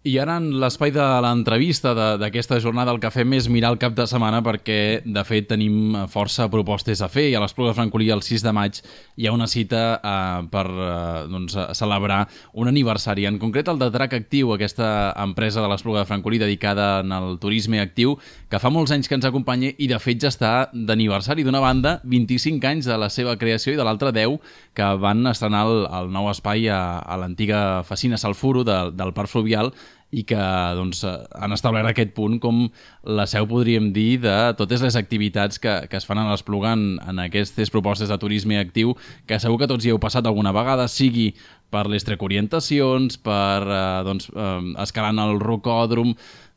I ara en l'espai de l'entrevista d'aquesta jornada el que fem és mirar el cap de setmana perquè de fet tenim força propostes a fer i a l'Espluga de Francolí el 6 de maig hi ha una cita per celebrar un aniversari, en concret el de Drac Actiu, aquesta empresa de l'Espluga de Francolí dedicada al turisme actiu que fa molts anys que ens acompanya i de fet ja està d'aniversari. D'una banda 25 anys de la seva creació i de l'altra 10 que van estrenar el nou espai a l'antiga Fecina Salfuro del Parc Fluvial i que han establert aquest punt com la seu, podríem dir, de totes les activitats que es fan a l'Espluga en aquestes propostes de turisme actiu, que segur que tots hi heu passat alguna vegada, sigui per les trecorientacions, per escalant el rocòdrom.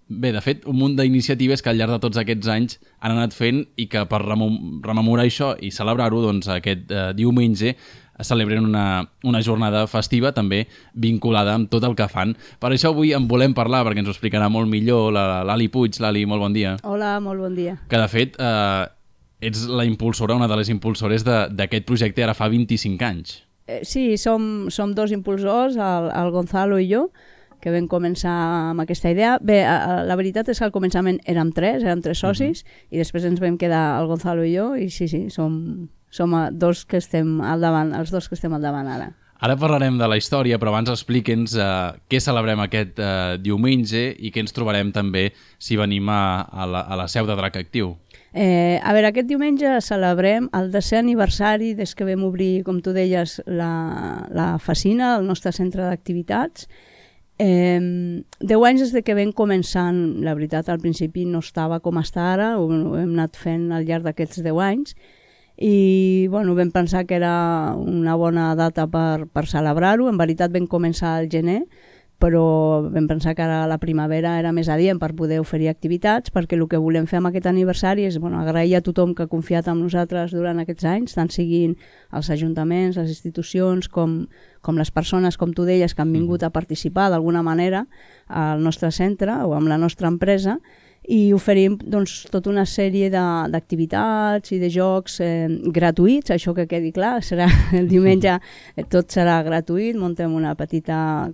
Bé, de fet, un munt d'iniciatives que al llarg de tots aquests anys han anat fent i que per rememorar això i celebrar-ho, aquest diumenge celebren una jornada festiva també vinculada amb tot el que fan. Per això avui en volem parlar, perquè ens ho explicarà molt millor l'Ali Puig. L'Ali, molt bon dia. Hola, molt bon dia. Que de fet ets la impulsora, una de les impulsores d'aquest projecte ara fa 25 anys. Sí, som dos impulsors, el Gonzalo i jo, que vam començar amb aquesta idea. Bé, la veritat és que al començament érem tres socis, i després ens vam quedar el Gonzalo i jo, i sí, som dos que estem al davant, els dos que estem al davant ara. Ara parlarem de la història, però abans explica'ns què celebrem aquest diumenge i què ens trobarem també si venim a la seu de Drac Actiu. A veure, aquest diumenge celebrem el 10è aniversari des que vam obrir, com tu deies, la Fecina, el nostre centre d'activitats. 10 anys des que vam començar, la veritat, al principi no estava com està ara, ho hem anat fent al llarg d'aquests 10 anys, i bueno, vam pensar que era una bona data per celebrar-ho. En veritat vam començar al gener, però vam pensar que ara la primavera era més adient per poder oferir activitats, perquè el que volem fer amb aquest aniversari és agrair a tothom que ha confiat en nosaltres durant aquests anys, tant siguin els ajuntaments, les institucions, com les persones, com tu deies, que han vingut a participar d'alguna manera al nostre centre o amb la nostra empresa, i oferim tota una sèrie d'activitats i de jocs gratuïts. Això que quedi clar, serà el diumenge, tot serà gratuït. Muntem una petita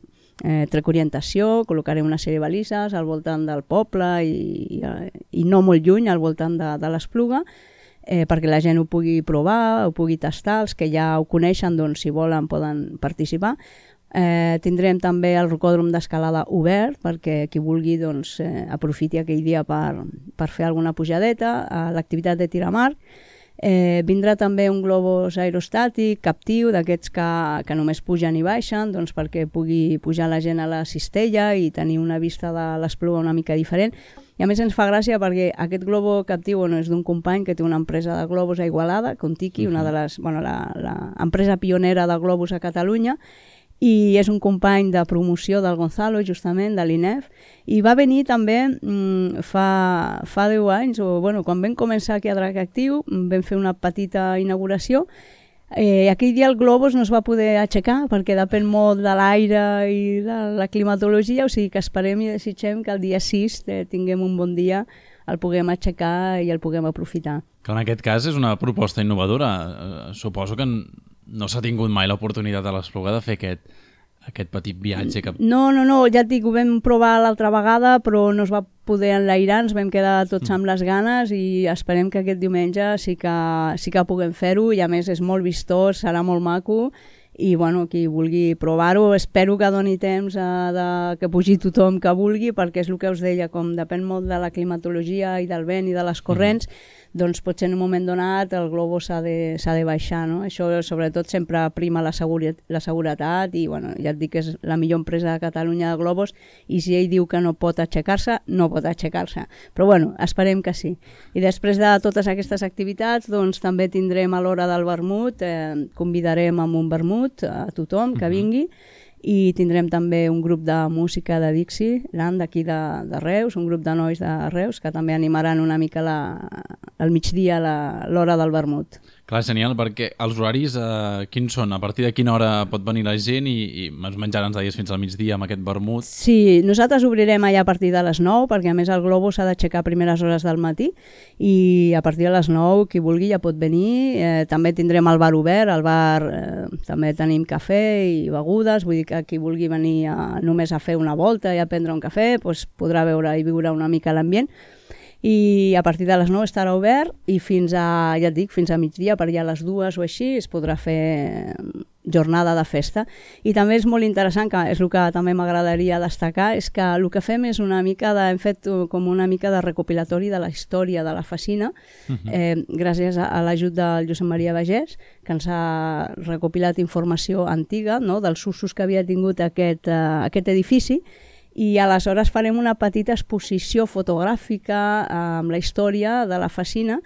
trecorientació, col·locarem una sèrie de balises al voltant del poble i no molt lluny, al voltant de l'Espluga, perquè la gent ho pugui provar, ho pugui tastar. Els que ja ho coneixen, si volen, poden participar. Tindrem també el rocòdrom d'escalada obert perquè qui vulgui aprofiti aquell dia per fer alguna pujadeta, l'activitat de tir a mar. Vindrà també un globus aerostàtic captiu, d'aquests que només pugen i baixen, perquè pugui pujar la gent a la cistella i tenir una vista de l'Espluga una mica diferent. I a més ens fa gràcia perquè aquest globo captiu és d'un company que té una empresa de globus a Igualada, Contiki, una de les, l'empresa pionera de globus a Catalunya, i és un company de promoció del Gonzalo, justament, de l'INEF, i va venir també fa 10 anys, quan vam començar aquí a Drac Actiu, vam fer una petita inauguració. Aquell dia el globus no es va poder aixecar perquè depèn molt de l'aire i de la climatologia, o sigui que esperem i desitgem que el dia 6 tinguem un bon dia, el puguem aixecar i el puguem aprofitar. Que en aquest cas és una proposta innovadora. Suposo que no s'ha tingut mai l'oportunitat a l'Espluga de fer aquest petit viatge. No, ja et dic, ho vam provar l'altra vegada, però no es va poder enlairar, ens vam quedar tots amb les ganes i esperem que aquest diumenge sí que puguem fer-ho, i a més és molt vistós, serà molt maco, i qui vulgui provar-ho, espero que doni temps que pugi tothom que vulgui, perquè és el que us deia, com depèn molt de la climatologia i del vent i de les corrents, doncs potser en un moment donat el globus s'ha de baixar, no? Això sobretot sempre prima la seguretat i ja et dic que és la millor empresa de Catalunya de globus, i si ell diu que no pot aixecar-se, no pot aixecar-se. Però esperem que sí. I després de totes aquestes activitats també tindrem a l'hora del vermut, convidarem amb un vermut a tothom que vingui, i tindrem també un grup de música de Dixieland d'aquí de Reus, un grup de nois de Reus que també animaran una mica al migdia l'hora del vermut. Clar, genial, perquè els horaris quins són? A partir de quina hora pot venir la gent i es menjaran, ens deies, fins al migdia amb aquest vermut? Sí, nosaltres obrirem allà a partir de les 9, perquè a més el Globo s'ha d'aixecar a primeres hores del matí i a partir de les 9 qui vulgui ja pot venir. També tindrem el bar obert, al bar també tenim cafè i begudes, vull dir que qui vulgui venir només a fer una volta i a prendre un cafè doncs podrà veure i viure una mica l'ambient. I a partir de les 9 estarà obert i fins a, ja et dic, fins a migdia, per allà a les 2 o així, es podrà fer jornada de festa. I també és molt interessant, que és el que també m'agradaria destacar, és que el que fem és una mica hem fet com una mica de recopilatori de la història de la Fecina, gràcies a l'ajut del Josep Maria Bagés, que ens ha recopilat informació antiga, no?, dels usos que havia tingut aquest edifici, i aleshores farem una petita exposició fotogràfica amb la història de la Fecina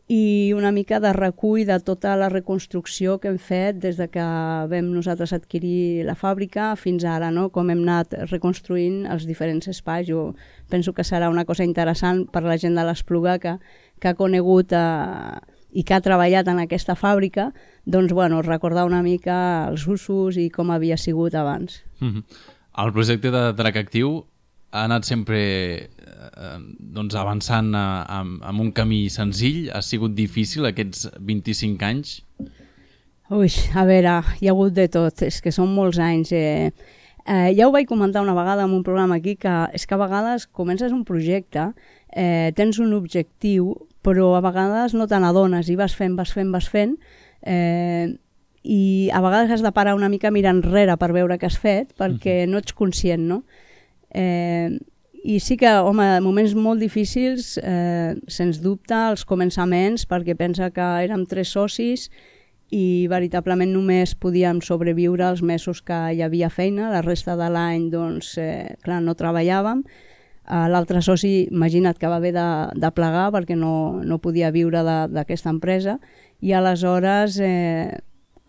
i una mica de recull de tota la reconstrucció que hem fet des de que vam nosaltres adquirir la fàbrica fins ara, no?, com hem anat reconstruint els diferents espais. Jo penso que serà una cosa interessant per la gent de l'Espluga que ha conegut i que ha treballat en aquesta fàbrica, doncs, bueno, recordar una mica els usos i com havia sigut abans. El projecte de Drac Actiu ha anat sempre avançant amb un camí senzill. Ha sigut difícil aquests 25 anys? Ui, a veure, hi ha hagut de tot, és que són molts anys. Ja ho vaig comentar una vegada en un programa aquí, que és que a vegades comences un projecte, tens un objectiu, però a vegades no te n'adones i vas fent, i a vegades has de parar una mica mirar enrere per veure què has fet, perquè no ets conscient, no? I sí que, home, moments molt difícils, sens dubte, els començaments, perquè pensa que érem 3 socis i veritablement només podíem sobreviure els mesos que hi havia feina, la resta de l'any, doncs, clar, no treballàvem. L'altre soci, imagina't que va haver de plegar perquè no podia viure d'aquesta empresa, i aleshores,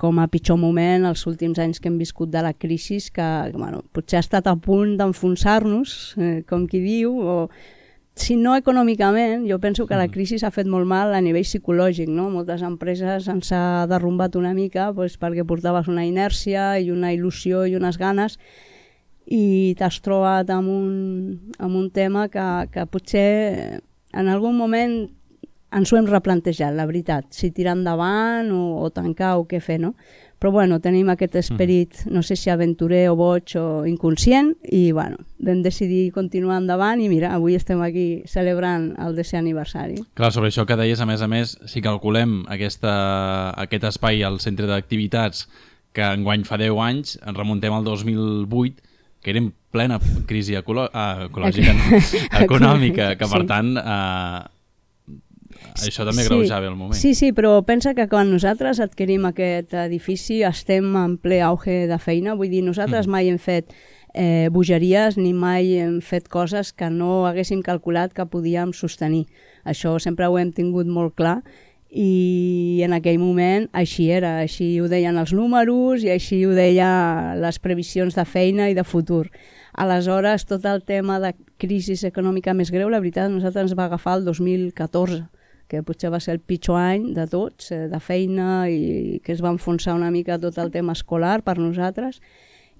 com a pitjor moment, els últims anys que hem viscut de la crisi, que bueno, potser ha estat a punt d'enfonsar-nos, com qui diu, o si no econòmicament, jo penso que la crisi s'ha fet molt mal a nivell psicològic, no? Moltes empreses ens ha derrumbat una mica perquè portaves una inèrcia i una il·lusió i unes ganes, i t'has trobat amb un tema que potser en algun moment ens ho hem replantejat, la veritat, si tirar endavant o tancar o què fer, no? Però bueno, tenim aquest esperit, no sé si aventurer o boig o inconscient, i bueno, vam decidir continuar endavant i mira, avui estem aquí celebrant el 10è aniversari. Clar, sobre això que deies, a més, si calculem aquest espai al centre d'activitats, que enguany fa 10 anys, ens remuntem al 2008, que era en plena crisi ecològica, econòmica, que per tant això també greujava el moment. Sí, però pensa que quan nosaltres adquirim aquest edifici estem en ple auge de feina, vull dir, nosaltres mai hem fet bogeries ni mai hem fet coses que no haguéssim calculat que podíem sostenir. Això sempre ho hem tingut molt clar i en aquell moment així era, així ho deien els números i així ho deien les previsions de feina i de futur. Aleshores, tot el tema de crisi econòmica més greu, la veritat, a nosaltres ens va agafar el 2014, que potser va ser el pitjor any de tots, de feina, i que es va enfonsar una mica tot el tema escolar per nosaltres,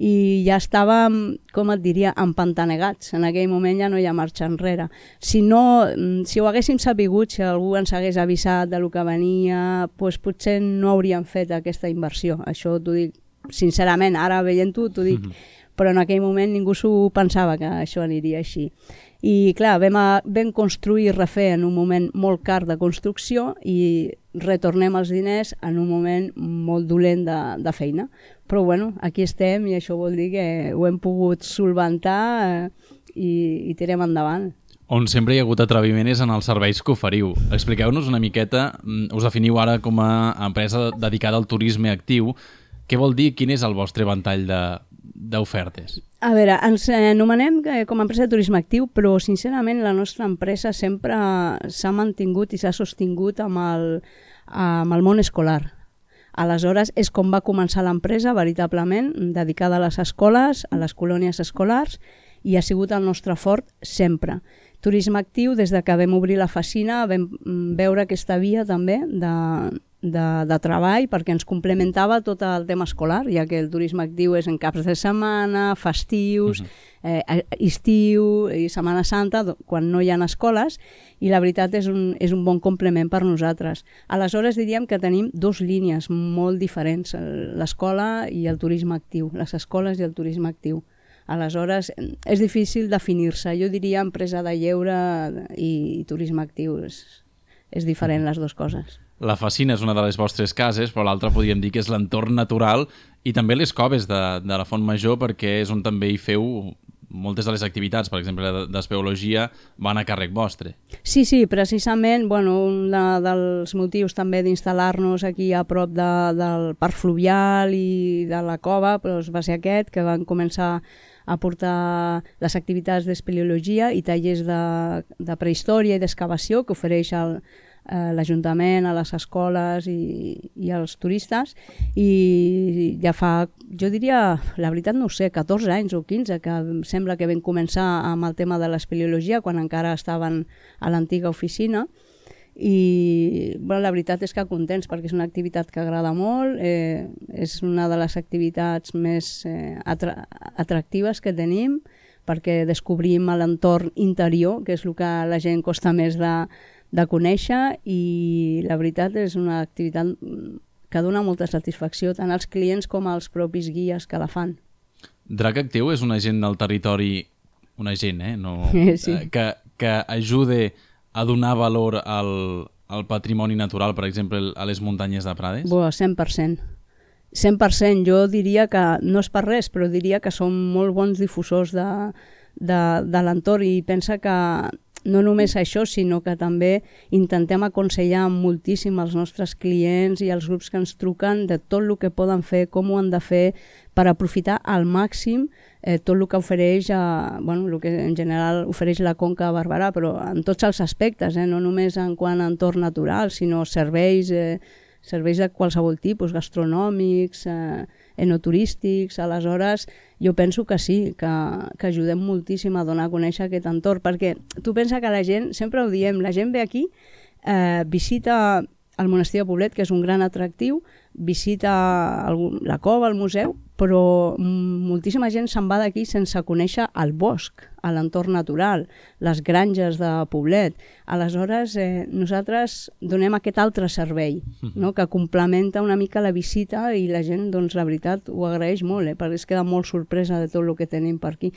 i ja estàvem, com et diria, empantanegats. En aquell moment ja no hi ha marxa enrere. Si ho haguéssim sapigut, si algú ens hagués avisat de lo que venia, doncs potser no hauríem fet aquesta inversió. Això t'ho dic sincerament, ara veient-ho t'ho dic, però en aquell moment ningú s'ho pensava que això aniria així. I clar, vam construir i refer en un moment molt car de construcció i retornem els diners en un moment molt dolent de feina. Però bueno, aquí estem i això vol dir que ho hem pogut solventar i tirem endavant. On sempre hi ha hagut atreviment és en els serveis que oferiu. Expliqueu-nos una miqueta, us definiu ara com a empresa dedicada al turisme actiu. Què vol dir? Quin és el vostre ventall d'ofertes? A veure, ens anomenem com a empresa de turisme actiu, però sincerament la nostra empresa sempre s'ha mantingut i s'ha sostingut amb el món escolar. Aleshores, és com va començar l'empresa veritablement, dedicada a les escoles, a les colònies escolars, i ha sigut el nostre fort sempre. Turisme actiu, des de que vam obrir la Fascina, vam veure aquesta via també de treball, perquè ens complementava tot el tema escolar, ja que el turisme actiu és en caps de setmana, festius, estiu i Setmana Santa, quan no hi ha escoles, i la veritat és un bon complement per nosaltres. Aleshores diríem que tenim dues línies molt diferents, l'escola i el turisme actiu, les escoles i el turisme actiu. Aleshores, és difícil definir-se. Jo diria empresa de lleure i turisme actiu. És diferent les dues coses. La Fascina és una de les vostres cases, però l'altra podríem dir que és l'entorn natural i també les coves de la Font Major, perquè és on també hi feu moltes de les activitats, per exemple, d'espeologia, van a càrrec vostre. Sí, precisament, un dels motius també d'instal·lar-nos aquí a prop del parc fluvial i de la cova va ser aquest, que van començar a portar les activitats d'espeleologia i tallers de prehistòria i d'excavació que ofereix l'Ajuntament, a les escoles i als turistes, i ja fa, jo diria, la veritat no ho sé, 14 anys o 15, que sembla que vam començar amb el tema de l'espeleologia quan encara estaven a l'antiga oficina, i la veritat és que contents perquè és una activitat que agrada molt, és una de les activitats més atractives que tenim, perquè descobrim l'entorn interior, que és el que a la gent costa més de conèixer, i la veritat és una activitat que dona molta satisfacció tant als clients com als propis guies que la fan. Drac Actiu és un agent del territori, un agent, no, sí. que ajude a donar valor al patrimoni natural, per exemple, a les muntanyes de Prades? 100%. 100%. Jo diria que, no és per res, però diria que som molt bons difusors de l'entorn, i pensa que no només això, sinó que també intentem aconsellar moltíssim als nostres clients i als grups que ens truquen de tot el que poden fer, com ho han de fer per aprofitar al màxim tot el que ofereix, el que en general ofereix la Conca de Barberà, però en tots els aspectes, no només en quant a entorn natural, sinó serveis de qualsevol tipus, gastronòmics, enoturístics. Aleshores, jo penso que sí, que ajudem moltíssim a donar a conèixer aquest entorn, perquè tu pensa que la gent, sempre ho diem, la gent ve aquí, visita el monestir de Poblet, que és un gran atractiu, visita la cova, el museu, però moltíssima gent se'n va d'aquí sense conèixer el bosc, l'entorn natural, les granges de Poblet. Aleshores, nosaltres donem aquest altre servei, no?, que complementa una mica la visita, i la gent, doncs, la veritat, ho agraeix molt, perquè es queda molt sorpresa de tot el que tenim per aquí.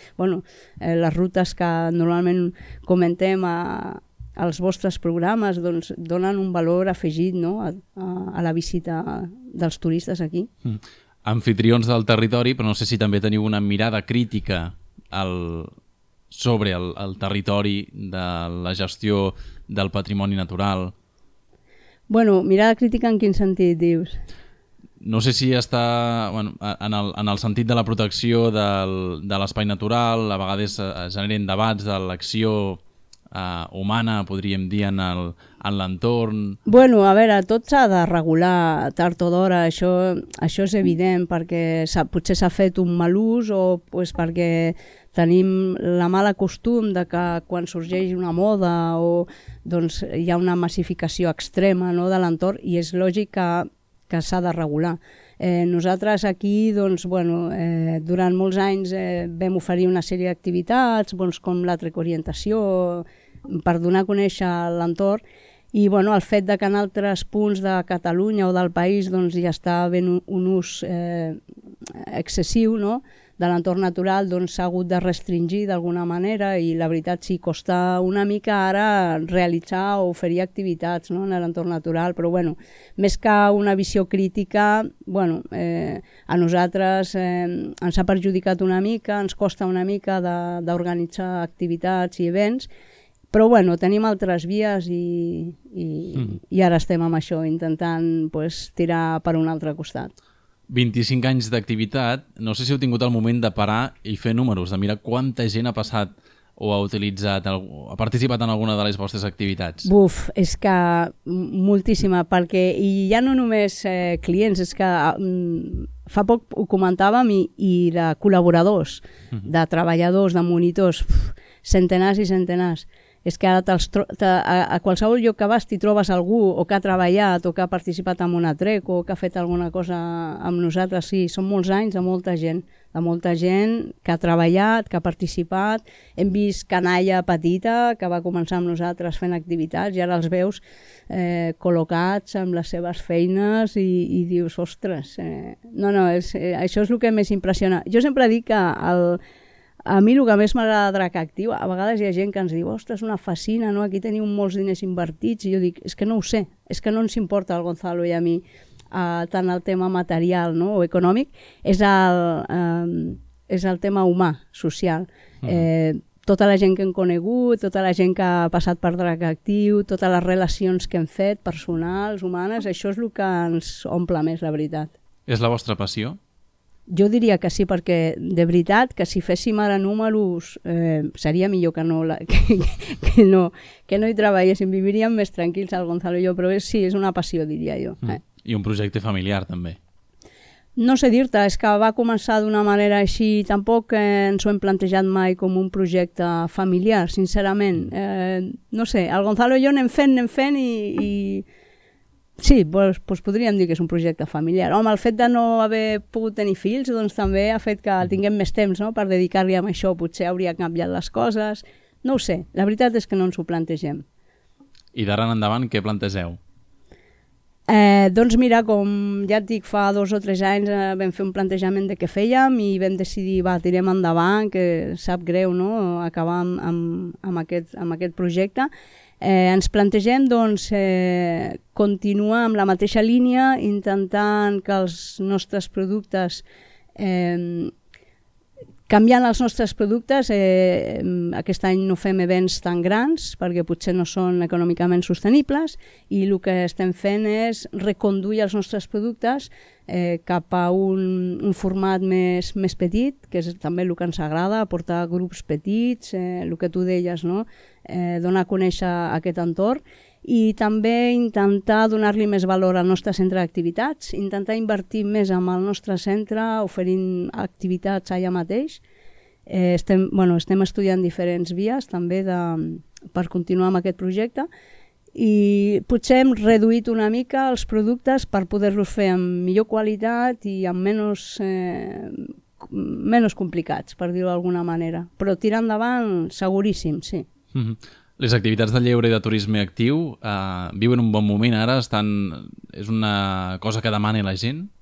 Les rutes que normalment comentem als vostres programes, doncs, donen un valor afegit, no?, a la visita dels turistes aquí. Amfitrions del territori, però no sé si també teniu una mirada crítica sobre el territori de la gestió del patrimoni natural. Mirada crítica en quin sentit, dius? No sé si està en el sentit de la protecció de l'espai natural, a vegades es generen debats de l'acció humana, podríem dir, en l'entorn. A veure, tot s'ha de regular tard o d'hora, això és evident, perquè potser s'ha fet un mal ús, o perquè tenim la mala costum de que quan sorgeix una moda doncs hi ha una massificació extrema, no, de l'entorn, i és lògic que s'ha de regular. Nosaltres aquí, doncs, durant molts anys vam oferir una sèrie d'activitats, com la trecoorientació, per donar a conèixer l'entorn, i el fet que en altres punts de Catalunya o del país doncs, ja està havent un ús excessiu, no?, de l'entorn natural, doncs s'ha hagut de restringir d'alguna manera, i la veritat sí, costa una mica ara realitzar o oferir activitats, no?, en l'entorn natural, però més que una visió crítica, a nosaltres ens ha perjudicat una mica, ens costa una mica d'organitzar activitats i events, però tenim altres vies i ara estem amb això, intentant tirar per un altre costat. 25 anys d'activitat, no sé si heu tingut el moment de parar i fer números, de mirar quanta gent ha passat o ha utilitzat, ha participat en alguna de les vostres activitats. És que moltíssima, perquè ja no només clients, és que fa poc ho comentàvem, i de col·laboradors, de treballadors, de monitors, centenars i centenars. és que ara a qualsevol lloc que vas t'hi trobes algú o que ha treballat o que ha participat en una trec o que ha fet alguna cosa amb nosaltres. Sí, són molts anys de molta gent que ha treballat, que ha participat. Hem vist canalla petita que va començar amb nosaltres fent activitats i ara els veus col·locats amb les seves feines i dius, ostres, això és el que més impressiona. Jo sempre dic que a mi el que més m'agrada de Drac Actiu, a vegades hi ha gent que ens diu, ostres, una fascina, no? Aquí teniu molts diners invertits, i jo dic, és que no ho sé, és que no ens importa al Gonzalo i a mi tant el tema material, no? O econòmic, és el tema humà, social. Tota la gent que hem conegut, tota la gent que ha passat per Drac Actiu, totes les relacions que hem fet, personals, humanes, això és el que ens omple més, la veritat. És la vostra passió? Jo diria que sí, perquè de veritat que si féssim ara números seria millor que no hi treballéssim, viviríem més tranquils el Gonzalo i jo, però sí, és una passió, diria jo. I un projecte familiar també. No sé dir-te, és que va començar d'una manera així, tampoc ens ho hem plantejat mai com un projecte familiar, sincerament. No sé, el Gonzalo i jo anem fent i sí, doncs podríem dir que és un projecte familiar. Home, el fet de no haver pogut tenir fills doncs també ha fet que tinguem més temps, no?, per dedicar-li a això. Potser hauria canviat les coses. No ho sé, la veritat és que no ens ho plantegem. I d'ara en endavant què plantegeu? Doncs mira, com ja et dic, fa 2 o 3 anys vam fer un plantejament de què fèiem i vam decidir, tirem endavant, que sap greu, no?, acabar amb aquest projecte. Ens plantegem doncs, continuar amb la mateixa línia, intentant que els nostres productes, canviant els nostres productes, aquest any no fem events tan grans perquè potser no són econòmicament sostenibles i el que estem fent és reconduir els nostres productes cap a un format més petit, que és també el que ens agrada, portar grups petits, el que tu deies, no?, donar a conèixer aquest entorn i també intentar donar-li més valor al nostre centre d'activitats, intentar invertir més en el nostre centre oferint activitats allà mateix. Estem estudiant diferents vies també per continuar amb aquest projecte i potser hem reduït una mica els productes per poder-los fer amb millor qualitat i amb menys complicats, per dir-ho d'alguna manera. Però tirar endavant, seguríssim, sí. Les activitats de lleure i de turisme actiu viuen un bon moment ara? És una cosa que demana la gent?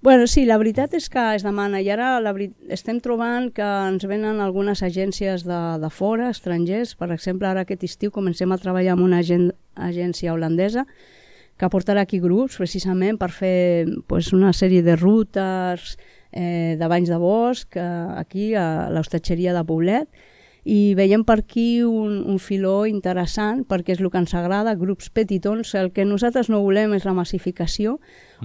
Bueno, sí, la veritat és que es demana i ara estem trobant que ens venen algunes agències de fora, estrangers. Per exemple, ara aquest estiu comencem a treballar amb una agència holandesa que portarà aquí grups precisament per fer una sèrie de rutes de banys de bosc aquí a l'hostatgeria de Poblet. I veiem per aquí un filó interessant perquè és el que ens agrada, grups petitons. El que nosaltres no volem és la massificació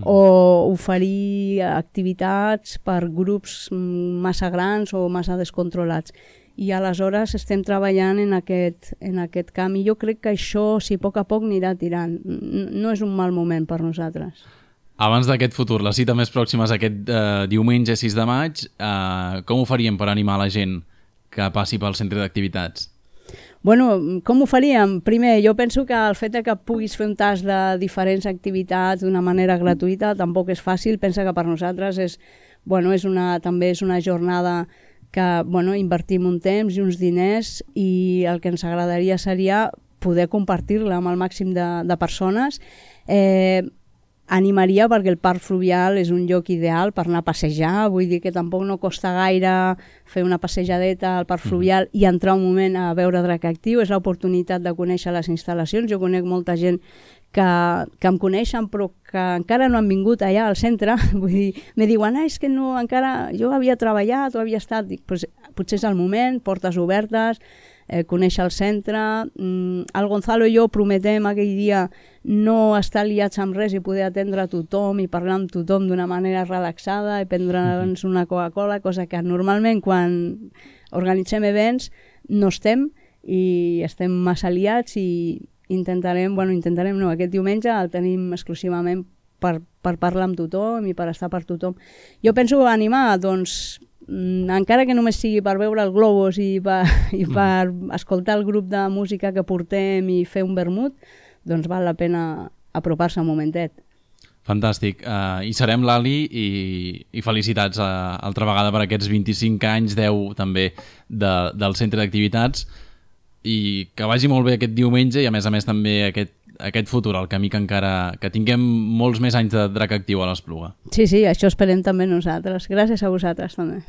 o oferir activitats per grups massa grans o massa descontrolats. I aleshores estem treballant en aquest camp i jo crec que això, si a poc anirà tirant, no és un mal moment per nosaltres. Abans d'aquest futur, la cita més pròxima és aquest diumenge 6 de maig, com ho faríem per animar la gent que passi pel centre d'activitats? Bueno, com ho faríem? Primer, jo penso que el fet que puguis fer un tas de diferents activitats d'una manera gratuïta tampoc és fàcil. Pensa que per nosaltres també és una jornada que invertim un temps i uns diners i el que ens agradaria seria poder compartir-la amb el màxim de persones. Animaria perquè el parc fluvial és un lloc ideal per anar a passejar, vull dir que tampoc no costa gaire fer una passejadeta al parc fluvial i entrar un moment a veure Drac Actiu, és l'oportunitat de conèixer les instal·lacions. Jo conec molta gent que em coneixen però que encara no han vingut allà al centre, vull dir, me diuen, és que no, encara jo havia treballat o havia estat, dic, potser és el moment, portes obertes, conèixer el centre. El Gonzalo i jo prometem aquell dia no estar liats amb res i poder atendre a tothom i parlar amb tothom d'una manera relaxada i prendre'ns una Coca-Cola, cosa que normalment quan organitzem events no estem i estem massa liats i intentarem no, aquest diumenge el tenim exclusivament per parlar amb tothom i per estar per tothom. Jo penso animar, doncs, encara que només sigui per veure el Globus i per escoltar el grup de música que portem i fer un vermut, doncs val la pena apropar-se un momentet. Fantàstic. Hi serem, Lali, i felicitats altra vegada per aquests 25 anys, 10 també, del centre d'activitats, i que vagi molt bé aquest diumenge i a més també aquest futur, el camí que tinguem molts més anys de Drac Actiu a l'Espluga. Sí, això esperem també nosaltres. Gràcies a vosaltres també.